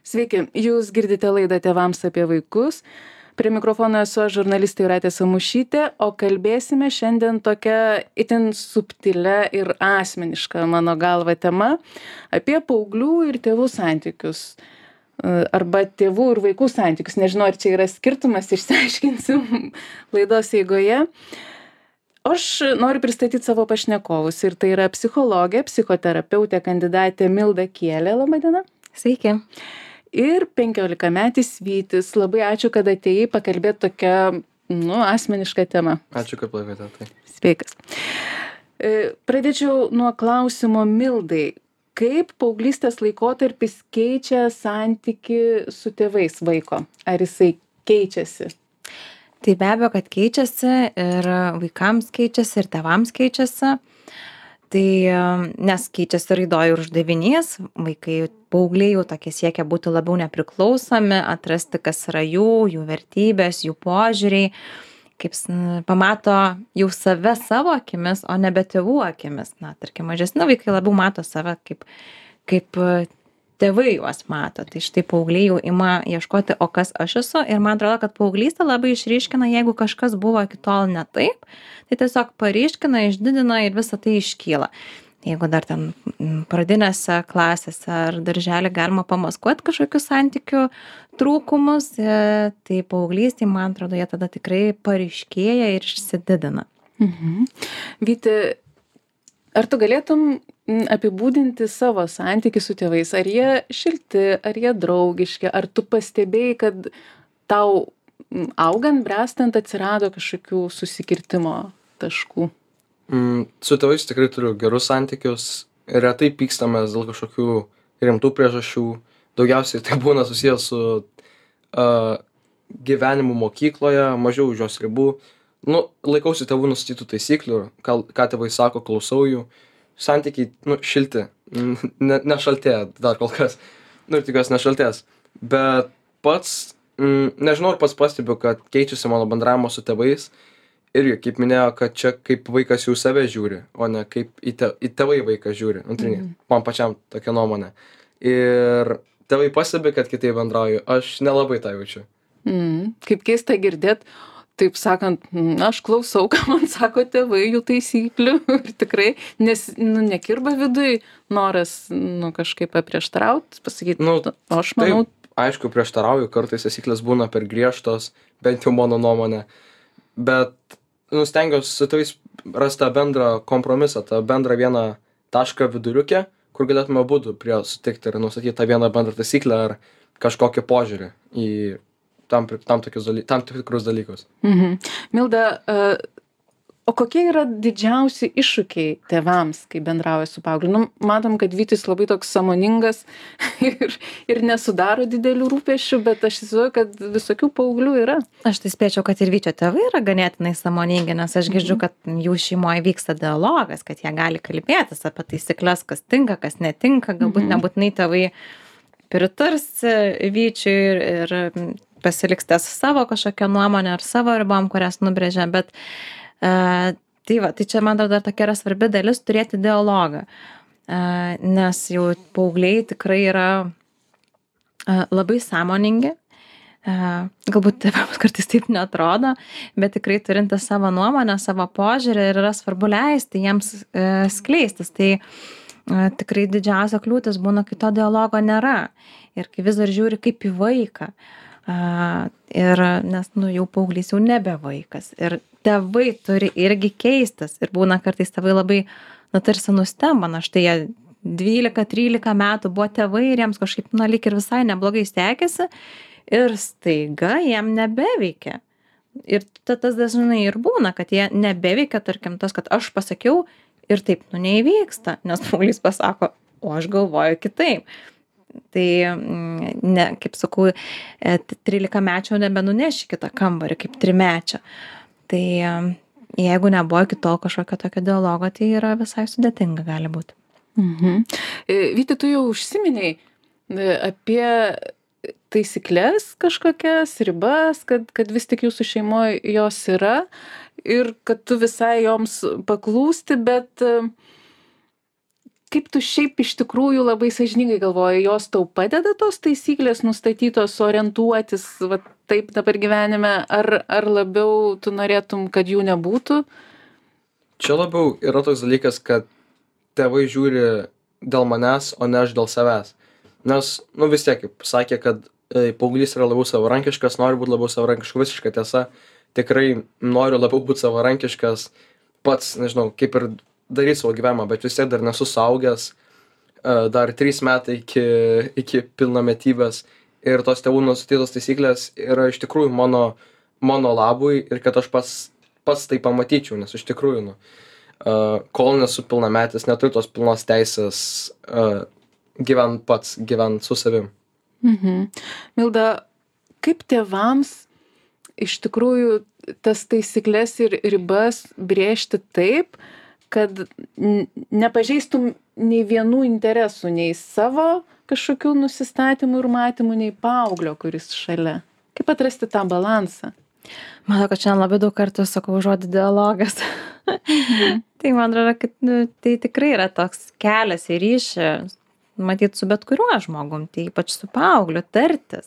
Sveiki, jūs girdite laidą Tėvams apie vaikus. Prie mikrofono esu aš, žurnalistė Jūratė Samušytė, o kalbėsime šiandien tokia itin subtilia ir asmeniška mano galva tema apie paauglių ir tėvų santykius. Arba tėvų ir vaikų santykius. Nežinau, ar čia yra skirtumas, išsiaiškinsim laidos eigoje. Aš noriu pristatyti savo pašnekovus ir tai yra psichologė, psichoterapeutė, kandidatė Milda Kielė. Labą dieną. Sveiki. Ir 15-metis Vytis. Labai ačiū, kad atėjai pakalbėti tokią, asmenišką temą. Ačiū, kad pakvietėte. Tai. Sveikas. Pradėčiau nuo klausimo Mildai. Kaip paauglystės laikotarpis keičia santyki su tėvais vaiko? Ar jisai keičiasi? Tai be abejo, kad keičiasi ir vaikams keičiasi, ir tėvams keičiasi. Tai nes keičiasi raidoj ir uždavinys, vaikai, paaugliai jau tokie siekia būti labiau nepriklausomi, atrasti, kas yra jų vertybės, jų požiūriai, kaip pamato jau save savo akimis, o nebe tėvų akimis. Na, tarkim, mažesni vaikai labiau mato save kaip tėvai juos mato. Tai štai paaugliai jau ima ieškoti, o kas aš esu. Ir man atrodo, kad paauglystė labai išryškina, jeigu kažkas buvo iki tol ne taip, tai tiesiog paryškina, išdidina ir visa tai iškyla. Jeigu dar ten pradinėse klasėse ar darželį galima pamaskuoti kažkokius santykių trūkumus, tai paauglystė, man atrodo, jie tada tikrai paryškėja ir išsididina. Vyti, ar tu galėtum apibūdinti savo santykį su tėvais? Ar jie šilti, ar jie draugiški? Ar tu pastebėjai, kad tau augant, brestant atsirado kažkokių susikirtimo taškų? Su tėvais tikrai turiu gerus santykius. Retai pykstamės dėl kažkokių rimtų priežasčių. Daugiausiai tai būna susijęs su gyvenimu mokykloje, mažiau už jos ribų. Laikausi tėvų nustatytų taisyklių, ką tėvai sako, klausau jų. Santykiai, šilti, nešaltėja dar kol kas. Ir tikiuosi nešaltės. Bet pats, nežinau, ar pats pastebiu, kad keičiasi mano bendravimo su tėvais. Irgi, kaip minėjo, kad čia kaip vaikas jau save žiūri, o ne kaip į tėvai vaiką žiūri. Man pačiam tokia nuomonė. Ir tėvai pastebi, kad kitaip bendrauju. Aš nelabai tą jaučiu. Kaip keista girdėt. Taip sakant, aš klausau, ką man sako tėvai, jų taisyklių ir tikrai, nes nekirba viduj noras kažkaip paprieštarauti, pasakyti, aš manau. Taip, aišku, prieštarauju, kartais taisyklės būna per griežtos, bent jau mano nuomonė, bet stengiuosi su tėvais rasti tą bendrą kompromisą, tą bendrą vieną tašką viduriukę, kur galėtume abudu prie sutikti ir nustatyti tą vieną bendrą taisyklę ar kažkokį požiūrį į tam tikrus dalykus. Milda, o kokie yra didžiausi iššūkiai tėvams, kai bendrauja su paaugliu? Matom, kad Vytis labai toks sąmoningas ir nesudaro didelių rūpesčių, bet aš įsivaizduoju, kad visokių paauglių yra. Aš tai spėčiau, kad ir Vyčio tėvai yra ganėtinai sąmoningi, nes aš girdžiu, kad jų šeimoje vyksta dialogas, kad jie gali kalbėtis apie taisyklės, kas tinka, kas netinka, galbūt nebūtinai tėvai pritars Vyčiui ir pasiliks ties savo kažkokią nuomonę ar savo ribom, kurias nubrėžia, bet tai čia man dar tokia yra svarbi dalis turėti dialogą, nes jau paaugliai tikrai yra labai sąmoningi, galbūt tėvams kartais taip neatrodo, bet tikrai turinti savo nuomonę, savo požiūrį ir yra svarbu leisti jiems skleistis. Tai tikrai didžiausia kliūtis būna, kai to dialogo nėra ir kai vis dar žiūri kaip į vaiką. Nes jau paauglys jau nebe vaikas ir tėvai turi irgi keistis ir būna kartais tėvai labai tarsi nustemba, štai jie 12-13 metų buvo tėvai ir jiems kažkaip lyg ir visai neblogai sekėsi ir staiga jiem nebeveikia. Ir tas dažnai ir būna, kad jie nebeveikia, tarkim, tas, kad aš pasakiau ir taip neįvyksta, nes paauglys pasako, o aš galvoju kitaip. Tai, kaip sakau, 13-mečio nebenuneši kitą kambarį kaip 3-mečio. Tai jeigu nebuvo iki tol kažkokio tokio dialogo, tai yra visai sudėtinga gali būti. Vyti, tu jau užsiminei apie taisyklės kažkokias, ribas, kad vis tik jūsų šeimoje jos yra ir kad tu visai joms paklūsti, bet kaip tu šiaip iš tikrųjų labai sąžiningai galvoji, jos tau padeda tos taisyklės nustatytos orientuotis va, taip dabar gyvenime, ar labiau tu norėtum, kad jų nebūtų? Čia labiau yra toks dalykas, kad tėvai žiūri dėl manęs, o ne aš dėl savęs. Nes, nu vis tiek, kaip sakė, kad paauglys yra labiau savarankiškas, nori būti labiau savarankiškas, visiška tiesa. Tikrai noriu labiau būti savarankiškas, pats, nežinau, kaip ir daryti savo gyvenimą, bet vis tiek dar nesu suaugęs, dar 3 metai iki pilnametybės ir tos tėvų nustatytos taisyklės yra iš tikrųjų mano labui ir kad aš pats tai pamatyčiau, nes iš tikrųjų, nu, kol nesu pilnametis, neturiu tos pilnos teisės gyvent su savim. Milda, kaip tėvams iš tikrųjų tas taisyklės ir ribas brėžti taip, kad nepažeistum nei vienų interesų, nei savo kažkokių nusistatymų ir matymų, nei paauglio, kuris šalia? Kaip atrasti tą balansą? Manau, kad šiandien labai daug kartų sakau žodį dialogas. Tai man atrodo, kad tai tikrai yra toks kelias į ryšį, matyt, su bet kuriuo žmogum, tai ypač su paaugliu, tartis,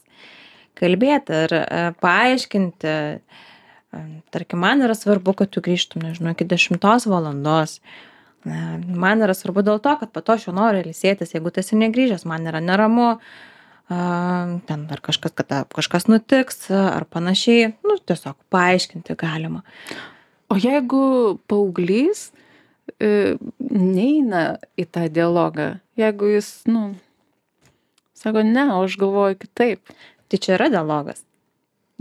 kalbėti ir paaiškinti. Tarkim, man yra svarbu, kad tu grįžtum, nežinau, iki 10 valandos. Man yra svarbu dėl to, kad po to aš jau noriu ilsėtis, jeigu tu esi negrįžęs, man yra neramu, ten ar kažkas nutiks, ar panašiai, nu, tiesiog paaiškinti galima. O jeigu paauglys neina į tą dialogą, jeigu jis, nu, sako, ne, o aš galvoju kitaip. Tai čia yra dialogas.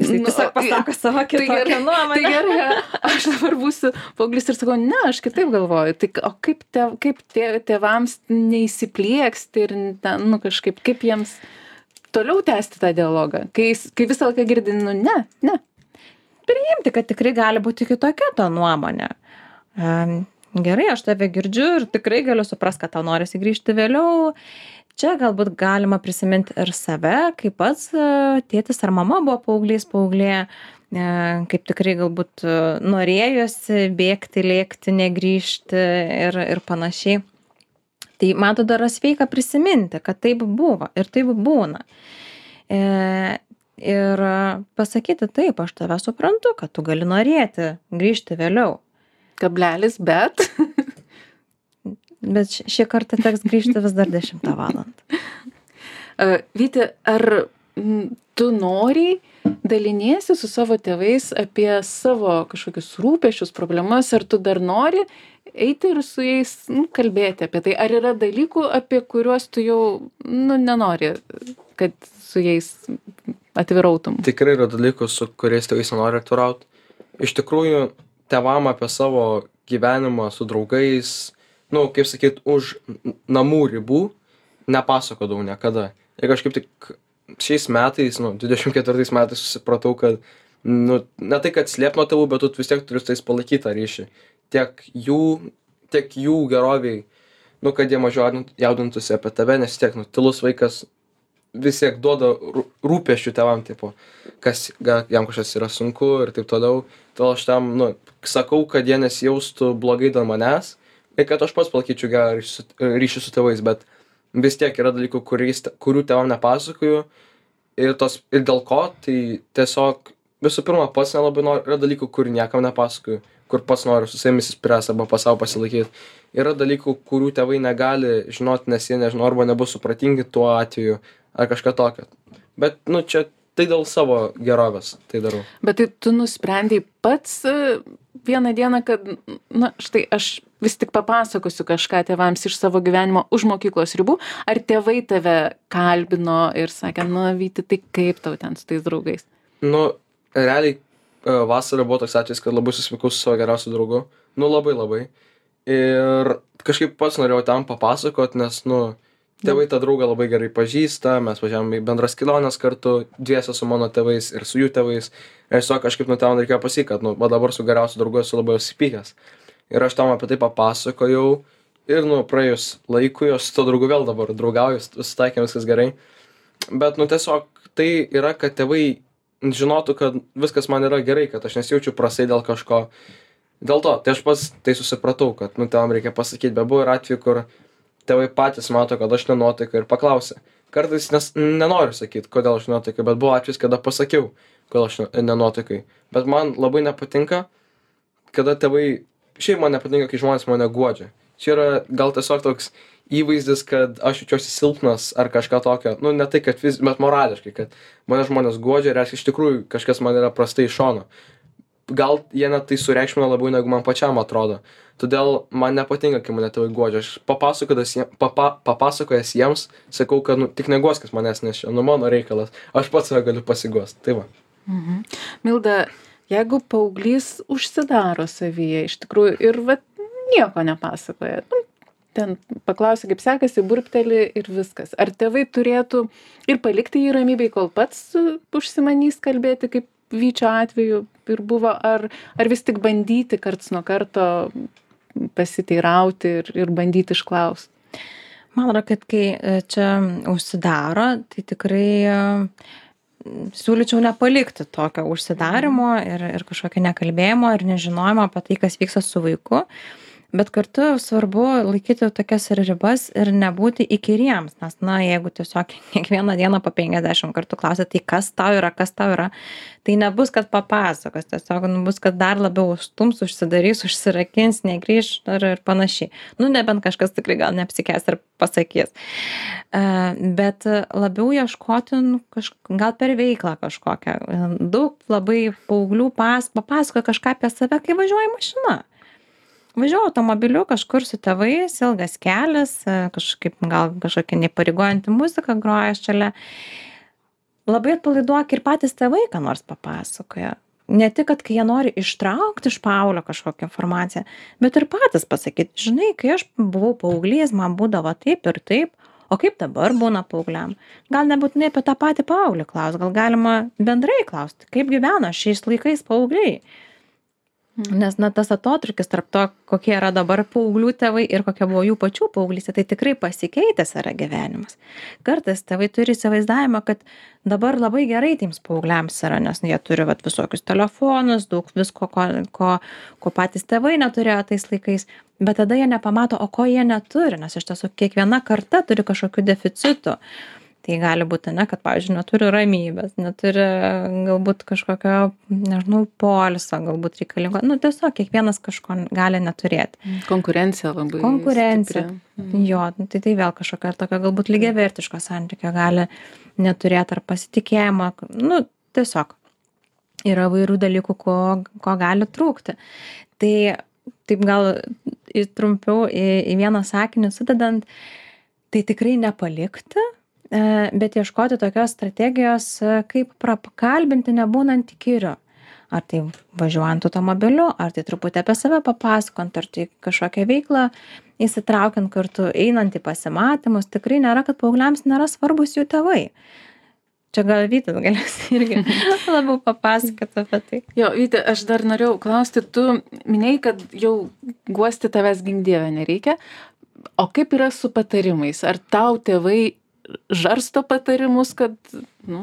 Jis tiesiog pasako savo kitokią nuomonę. Tai gerai, aš dabar būsiu paauglys ir sakau, ne, aš kitaip galvoju. Tai, o kaip tėvams neįsiplieksti ir, nu, kažkaip, kaip jiems toliau tęsti tą dialogą, kai visą laiką girdi, nu, ne. Priimti, kad tikrai gali būti kitokia ta nuomonė. Gerai, aš tave girdžiu ir tikrai galiu suprast, kad tau norisi grįžti vėliau. Čia galbūt galima prisiminti ir save, kaip pats tėtis ar mama buvo paauglė, kaip tikrai galbūt norėjosi bėgti, lėkti, negrįžti ir panašiai. Tai man tada yra sveika prisiminti, kad taip buvo ir taip būna. Ir pasakyti taip, aš tave suprantu, kad tu gali norėti grįžti vėliau. Kablelis, bet... Bet šį kartą teks grįžti vis dar 10 valandą. Vyti, ar tu noriai daliniesi su savo tėvais apie savo kažkokius rūpesčius, problemas, ar tu dar nori eiti ir su jais kalbėti apie tai? Ar yra dalykų, apie kuriuos tu jau nenori, kad su jais atvirautum? Tikrai yra dalykų, su kuriais tėvais nenori atvirauti. Iš tikrųjų, tėvam apie savo gyvenimą su draugais, nu, kaip sakyt, už namų ribų nepasakodavau niekada. Ir kažkaip tik šiais metais, 24 metais susipratau, kad, nu, ne tai, kad slėpt nuo tėvų, bet tu vis tiek turi su tais palaikyti tą ryšį. Tiek jų geroviai, nu, kad jie mažiau jaudintųsi apie tave, nes tiek, tylus vaikas vis tiek duoda rūpesčių tėvam, tipo, kas jam kažkas yra sunku ir taip toliau. Todėl aš tam, sakau, kad jie nesijaustų blogai dėl manęs, ir kad aš pats palaikyčiau gerą ryšį su tėvais, bet vis tiek yra dalykų, kurių tėvam nepasakoju ir dėl ko, tai tiesiog visų pirma pats nelabai noriu, yra dalykų, kurių niekam nepasakoju, kur pats noriu su savimi įsispręsti arba savo pasilaikyti. Yra dalykų, kurių tėvai negali žinoti, nes jie nežino arba nebus supratingi tuo atveju ar kažką tokio. Bet, čia tai dėl savo gerovės tai darau. Bet tai tu nusprendei pats vieną dieną, kad, štai aš vis tik papasakosiu kažką tėvams iš savo gyvenimo už mokyklos ribų, ar tėvai tave kalbino ir sakė, Vyti, tai kaip tau ten su tais draugais? Realiai vasarą buvo toks atvejis, kad labai susipykau su savo geriausiu draugu. Labai. Ir kažkaip pats norėjau tam papasakot, nes, tėvai tą draugą labai gerai pažįsta, mes važiavome į bendras keliones kartu, dviese su mano tėvais ir su jų tėvais. Ir tiesiog kažkaip ten reikėjo pasakyti, kad, va dabar su geriausiu draugu esu labai susipykęs. Ir aš tam apie tai papasakojau ir, praėjus laikui, aš su to draugu vėl dabar draugauju, susitaikėm, viskas gerai. Bet, tiesiog tai yra, kad tėvai žinotų, kad viskas man yra gerai, kad aš nesijaučiu prastai dėl kažko. Dėl to, tai aš pats tai susipratau, kad, tėvam reikia pasakyti, bet buvo ir atveju, kur tėvai patys mato, kad aš nenuotaikai ir paklausia. Kartais nenoriu sakyti, kodėl aš nenuotaikai, bet buvo atvejis, kada pasakiau, kodėl aš nenuotaikai. Bet man labai nepatinka, kada tėvai, šiaip man nepatinka, kai žmonės mane guodžia. Čia yra gal tiesiog toks įvaizdis, kad aš jaučiuosi silpnas ar kažką tokio, nu ne tai, kad bet morališkai, kad mane žmonės guodžia, reiškia iš tikrųjų kažkas man yra prastai iš šono. Gal jie net tai sureikšmina labiau, negu man pačiam atrodo. Todėl man nepatinka, kai mane tėvai guodžia. Aš papasakojęs jiems, sakau, kad tik neguoskis manęs, nes čia mano reikalas. Aš pats save galiu pasiguosti. Tai va. Milda, jeigu paauglys užsidaro savyje iš tikrųjų ir nieko nepasakoja, ten paklausia, kaip sekasi, burpteli ir viskas. Ar tėvai turėtų ir palikti jį ramybėj, kol pats užsimanys kalbėti, kaip Vyčio atveju ir buvo, ar vis tik bandyti karts nuo karto pasiteirauti ir bandyti išklausti? Man atrodo, kad kai čia užsidaro, tai tikrai siūlyčiau nepalikti tokio užsidarimo ir kažkokio nekalbėjimo ir nežinojimo apie tai, kas vyksta su vaiku. Bet kartu svarbu laikyti tokias ribas ir nebūti įkyriems, nes, jeigu tiesiog kiekvieną dieną po 50 kartų klausia, tai kas tau yra, tai nebus, kad papasakos, tiesiog bus, kad dar labiau užstums, užsidarys, užsirakins, negrįš ir panašiai. Nebent kažkas tikrai gal neapsikės ir pasakys. Bet labiau ieškoti, gal per veiklą kažkokią. Daug labai paauglių papasakoja kažką apie save, kai važiuoja mašina. Važiuoju automobiliu kažkur su tėvais, ilgas kelias, gal kažkokia nepareigojanti muzika groja šalia. Labai atpalaiduok ir patys tėvai, ką nors papasakoja. Ne tik, kad kai jie nori ištraukti iš Paulio kažkokią informaciją, bet ir patys pasakyti, žinai, kai aš buvau paauglys, man būdavo taip ir taip, o kaip dabar būna paaugliam. Gal nebūtinai apie tą patį Paulį klaus, gal galima bendrai klausti, kaip gyvena šiais laikais paaugliai. Nes tas atotrukis tarp to, kokie yra dabar paauglių tėvai ir kokia buvo jų pačių paauglystė, tai tikrai pasikeitęs yra gyvenimas. Kartais tėvai turi įsivaizdavimą, kad dabar labai gerai tiems paaugliams yra, nes jie turi visokius telefonus, daug visko, ko patys tėvai neturėjo tais laikais, bet tada jie nepamato, o ko jie neturi, nes iš tiesų kiekviena karta turi kažkokių deficitų. Tai gali būti, kad, pavyzdžiui, neturi ramybės, neturi galbūt kažkokio, poilsio, galbūt reikalingo. Tiesiog kiekvienas kažko gali neturėti. Konkurencija labai. Konkurencija. Jo, tai vėl kažkokia tokia galbūt lygiavertiško santykio gali neturėti ar pasitikėjimo. Tiesiog yra vairių dalykų, ko gali trūkti. Tai taip gal trumpiau į vieną sakinį sudedant, tai tikrai nepalikti, bet ieškoti tokios strategijos, kaip prakalbinti nebūnant įkyriu. Ar tai važiuojant automobiliu, ar tai truputį apie save papasakant, ar tai kažkokią veiklą įsitraukiant kartu, einant į pasimatymus. Tikrai nėra, kad paaugliams nėra svarbus jų tėvai. Čia gal Vytis galės irgi labiau papasakoti apie tai. Jo, Vyti, aš dar norėjau klausti, tu minėjai, kad jau guosti tavęs gink Dieve nereikia. O kaip yra su patarimais? Ar tau tėvai žarsto patarimus, kad,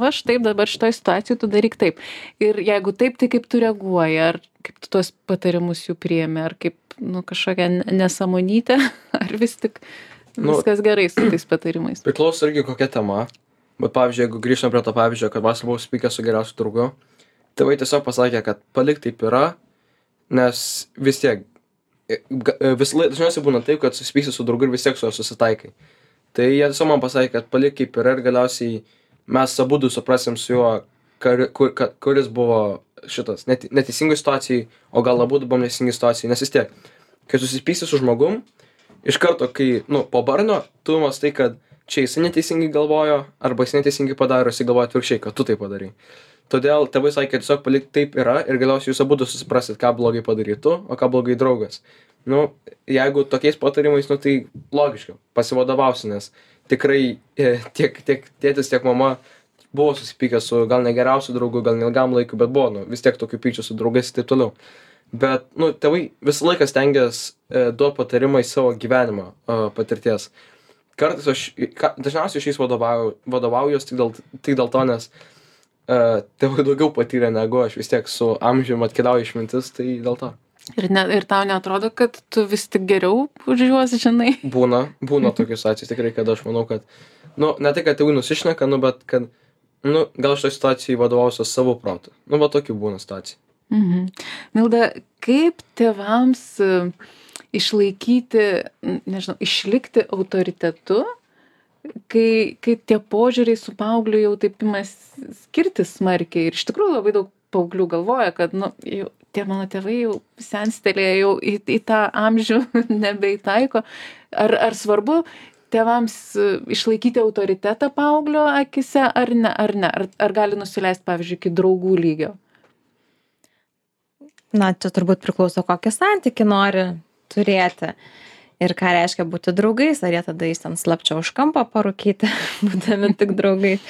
aš taip dabar šitoj situacijai tu daryk taip. Ir jeigu taip, tai kaip tu reaguoji, ar kaip tu tuos patarimus jų priėmė, ar kaip, kažkokia nesąmonytė, ar vis tik viskas gerai su tais patarimais. Priklauso irgi kokia tema, bet pavyzdžiui, jeigu grįžtam prie to pavyzdžio, kad vasarą buvau supykęs su geriausiu draugu, tėvai tiesiog pasakė, kad palik taip yra, nes vis tiek, dažniausiai būna taip, kad susipyksi su draugu ir vis tiek su juo susitaikai. Tai jie tiesiog man pasakė, kad palik kaip yra ir galiausiai mes abudu suprasim su juo, kuris buvo šitas neteisingai situacijai, o gal abudu buvom neteisingai situacijai, nes vis tiek, kai susipyksi su žmogum, iš karto, kai, po barnio, tu mąstai, kad čia jisai neteisingai galvojo, arba jis neteisingai padaro, jisai galvoja atvirkščiai, kad tu tai padarai. Todėl tėvai sakė, kad tiesiog palik taip yra ir galiausiai jūs abudu susiprasit, ką blogai padarai tu, o ką blogai draugas. Jeigu tokiais patarimais, tai logiška, pasivadovausi, nes tikrai tiek tėtis, tiek mama buvo susipykę su gal negeriausiu draugu, gal neilgam laiku, bet buvo, vis tiek tokių pykčių su draugais ir taip toliau. Bet, tėvai visą laiką stengias duoti patarimą į savo gyvenimo patirties. Kartais dažniausiai šiais vadovaujuos tik dėl to, nes tėvai daugiau patyrė negu aš, vis tiek su amžiumi atkeliauja išmintis, tai dėl to. Ir tau neatrodo, kad tu vis tik geriau už juos žinai? Būna tokius atvejus tikrai, kad aš manau, kad, nu, ne tai, kad tėvai nusišneka, nu, bet kad, nu, gal šitoj situacijai vadovausiu savo protu. Nu, va tokių būna situacijų. Milda, kaip tėvams išlaikyti, nežinau, išlikti autoritetu, kai tie požiūriai su paaugliu jau taip ima skirtis smarkiai ir iš tikrųjų labai daug paauglių galvoja, kad, nu, jau, tie mano tėvai jau senstelėje, jau į tą amžių nebeitaiko. Ar svarbu tėvams išlaikyti autoritetą paauglio akise, ar ne? Ar gali nusileisti, pavyzdžiui, iki draugų lygio? Na, čia turbūt priklauso, kokį santykį nori turėti. Ir ką reiškia būti draugais, ar jie tada jis ten slapčia už kampo parūkyti, būdami tik draugais.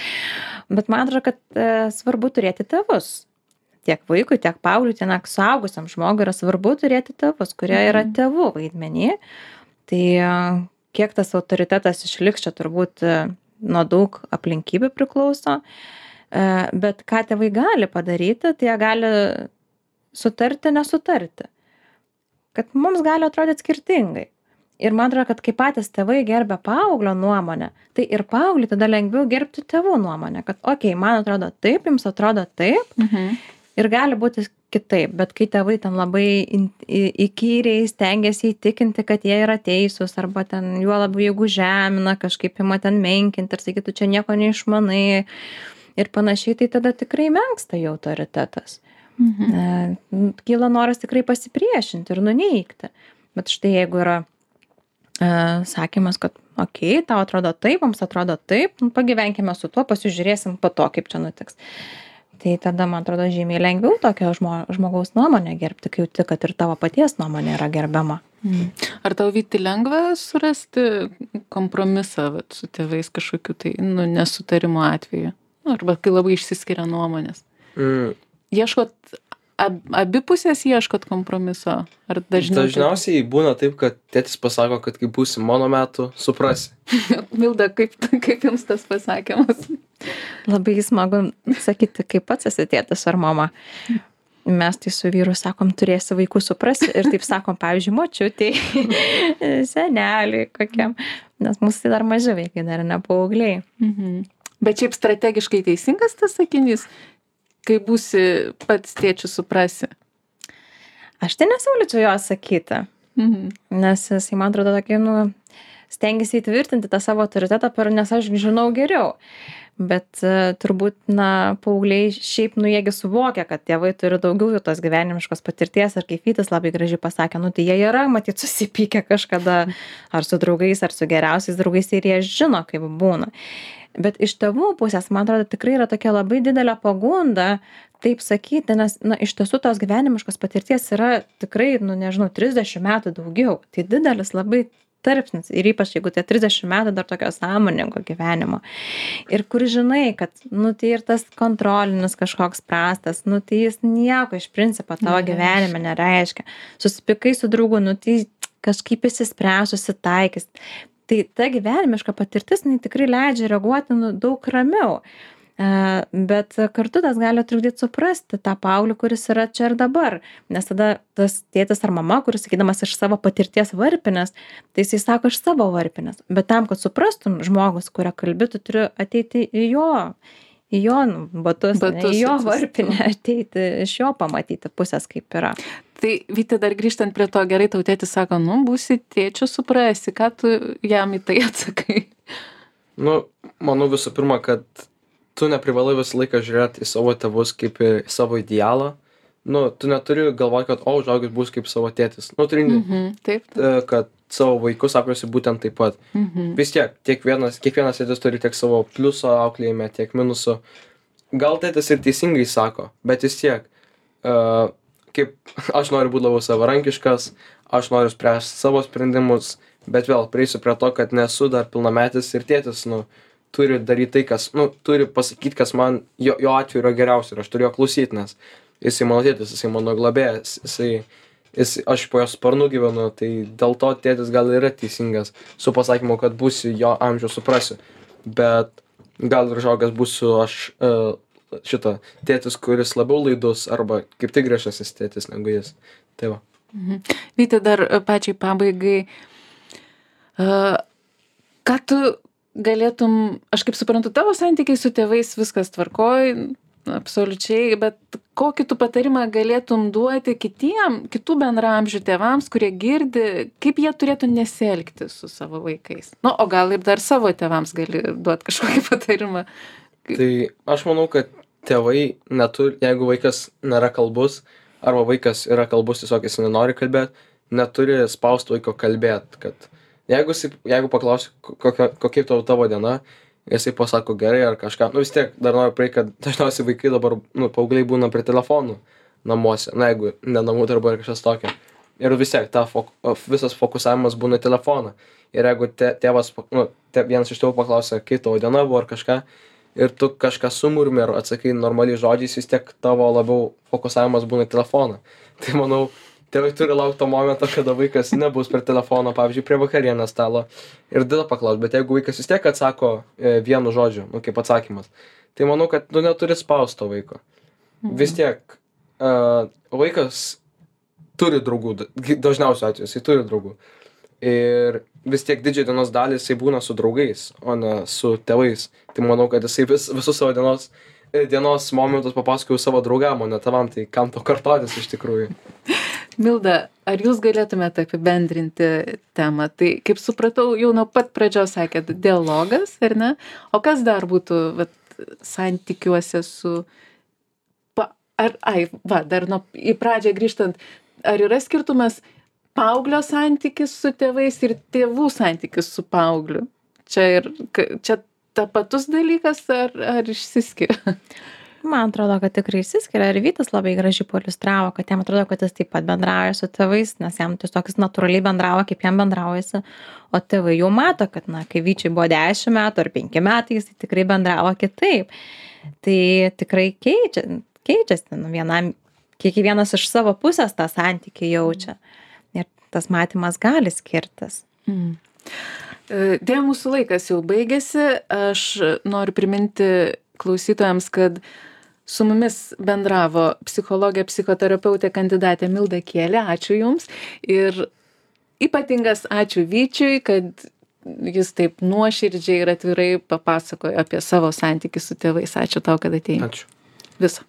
Bet man atrodo, kad svarbu turėti tėvus. Tiek vaikui, tiek paaugliui, tiek suaugusiam žmogui yra svarbu turėti tėvus, kurie yra tėvų vaidmenį. Tai kiek tas autoritetas išliks, čia turbūt nuo daug aplinkybių priklauso. Bet ką tėvai gali padaryti, tai jie gali sutarti, nesutarti. Kad mums gali atrodyti skirtingai. Ir man atrodo, kad kai patys tėvai gerbia paauglio nuomonę, tai ir paauglį tada lengviau gerbti tėvų nuomonę. Kad, okei, man atrodo taip, jums atrodo taip. Ir gali būti kitaip. Bet kai tėvai ten labai įkyriai stengiasi įtikinti, kad jie yra teisūs, arba ten juo labiau jeigu žemina, kažkaip ima ten menkinti ir sakytų, čia nieko neišmanai ir panašiai, tai tada tikrai menksta jų autoritetas. Kyla noras tikrai pasipriešinti ir nuneigti. Bet štai jeigu yra sakymas, kad okei, tau atrodo taip, mums atrodo taip, pagyvenkime su tuo, pasižiūrėsim po to, kaip čia nutiks. Tai tada, man atrodo, žymiai lengviau tokio žmogaus nuomonę gerbti, kai jauti, kad ir tavo paties nuomonė yra gerbiama. Ar tau, Vyti, lengva surasti kompromisą su tėvais kažkokiu tai nesutarimo atveju? Arba kai labai išsiskiria nuomonės? Ieškot, abi pusės ieškot kompromiso? Ar dažniausiai būna taip, kad tėtis pasako, kad kai būsi mano metų, suprasi. Milda, kaip jums tas pasakymas? Labai smagu sakyti, kaip pats esi tėtis ar mama. Mes tai su vyru sakom, turėsi vaikų suprasti ir taip sakom, pavyzdžiui, močiutei, seneliui kokiam, nes mūsų tai dar maži vaikai, dar ne paaugliai. Bet šiaip strategiškai teisingas tas sakinys? Kai būsi pats tėčiu, suprasi. Aš tai nesiūlyčiau jo sakyti, nes jisai, man atrodo, tokį, stengiasi įtvirtinti tą savo autoritetą, nes aš žinau geriau. Bet turbūt, paaugliai šiaip, jiegi suvokia, kad tėvai turi daugiau jau tos gyvenimiškos patirties, ir kaip Vytis labai gražiai pasakė, tai jie yra, matyt, susipykę kažkada, ar su draugais, ar su geriausiais draugais, ir jie žino, kaip būna. Bet iš tėvų pusės, man atrodo, tikrai yra tokia labai didelė pagunda taip sakyti, nes, iš tiesų tos gyvenimiškos patirties yra tikrai, 30 metų daugiau. Tai didelis labai tarpsnis ir ypač jeigu tie 30 metų dar tokio sąmoningo gyvenimo. Ir kur žinai, kad, tai ir tas kontrolinis kažkoks prastas, tai jis nieko iš principo tavo gyvenime nereiškia. Susipykai su draugu, tai kažkaip įsispręs, susitaikys. Tai ta gyvenimiška patirtis, tikrai leidžia reaguoti daug ramiau. Bet kartu tas gali trukdyti suprasti tą paauglį, kuris yra čia ir dabar. Nes tada tas tėtis ar mama, kuris sakydamas iš savo patirties varpinės, tai jisai sako iš savo varpinės. Bet tam, kad suprastum žmogus, kurio kalbi, tu turi ateiti į jo batus, į jo varpinę, ateiti iš jo pamatyti pusės, kaip yra. Tai, Vyti, dar grįžtant prie to, gerai, tau tėtis sako, būsi tėčiu, suprasi, ką tu jam į tai atsakai? Manau visų pirma, kad tu neprivalai visą laiką žiūrėti į savo tėvus kaip į savo idealą. Tu neturi galvoti, kad, užaugęs bus kaip savo tėtis. Taip. Kad savo vaikus aprėsi būtent taip pat. Vis tiek, kiekvienas tėtis turi tiek savo pliuso auklėjime, tiek minuso. Gal tėtis ir teisingai sako, bet vis tiek, kaip aš noriu būti labiau savarankiškas, aš noriu spręsti savo sprendimus, bet vėl prieisiu prie to, kad nesu dar pilnametis ir tėtis, turi daryti tai, kas, turi pasakyti, kas man jo atveju yra geriausia ir aš turiu jo klausyti, nes jisai mano tėtis, jisai mano globėjas, aš po jo sparnu gyvenu, tai dėl to tėtis gal yra teisingas su pasakymu, kad būsiu jo amžiaus, suprasiu, bet gal ir užaugęs būsiu aš tėtis, kuris labiau laidus arba kaip tik griežtasis tėtis negu jis. Tai va. Vyti, dar pačiai pabaigai, ką tu galėtum, aš kaip suprantu, tavo santykiai su tėvais viskas tvarkoj, absoliučiai, bet kokį tu patarimą galėtum duoti kitų bendraamžių tėvams, kurie girdi, kaip jie turėtų nesielgti su savo vaikais? Nu, o gal ir dar savo tėvams gali duoti kažkokį patarimą? Tai aš manau, kad tėvai neturi, jeigu vaikas nėra kalbus, arba vaikas yra kalbus, tiesiog jis nenori kalbėti, neturi spausti vaiko kalbėti, kad jeigu paklausi, kokia tavo diena, jisai pasako gerai ar kažką, nu vis tiek dar noriu praeiti, kad dažniausiai vaikai dabar, paaugliai būna prie telefonų namuose, na jeigu ne namų darbai ar kažkas tokio. Ir vis tiek visas fokusavimas būna į telefoną. Ir jeigu tėvas, vienas iš tėvų paklausia, kaip tavo diena buvo ar kažką, ir tu kažką sumurmi ar atsakai normaliai žodžiais, vis tiek tavo labiau fokusavimas būna į telefoną. Tai manau, tėvai turi laukti to momento, kada vaikas nebus prie telefono, pavyzdžiui, prie vakarienės stalo ir tada paklaus. Bet jeigu vaikas vis tiek atsako vienu žodžiu, kaip atsakymas, tai manau, kad tu neturi spausti to vaiko. Vis tiek vaikas turi draugų, dažniausiu atveju jisai turi draugų. Ir vis tiek didžiąją dienos dalį jisai būna su draugais, o ne su tėvais. Tai manau, kad jisai visus savo dienos momentus papasakojo savo draugam, o ne tavam, tai kam to kartotis iš tikrųjų. Milda, ar jūs galėtumėte apibendrinti temą? Tai, kaip supratau, jau nuo pat pradžios sakėt, dialogas, ar ne? O kas dar būtų santykiuose su... Dar į pradžią grįžtant, ar yra skirtumas paauglio santykis su tėvais ir tėvų santykis su paaugliu? Čia tapatus dalykas ar išsiskiria? Man atrodo, kad tikrai išsiskiria ir Vytas labai gražiai pailiustravo, kad jam atrodo, kad jis taip pat bendrauja su tėvais, nes jam tiesiog jis natūraliai bendrauja, kaip jam bendraujasi, o tėvai jau mato, kad, kai Vyčiui buvo 10 metų ar 5 metai, jis tikrai bendravo kitaip. Tai tikrai keičiasi, kiekvienas iš savo pusės tą santykį jaučia ir tas matymas gali skirtis. Dėja, mūsų laikas jau baigėsi, aš noriu priminti klausytojams, kad su mumis bendravo psichologė, psichoterapeutė, kandidatė Milda Kielė. Ačiū Jums. Ir ypatingas ačiū Vyčiui, kad jis taip nuoširdžiai ir atvirai papasakojo apie savo santykį su tėvais. Ačiū tau, kad atėjai. Ačiū. Viso.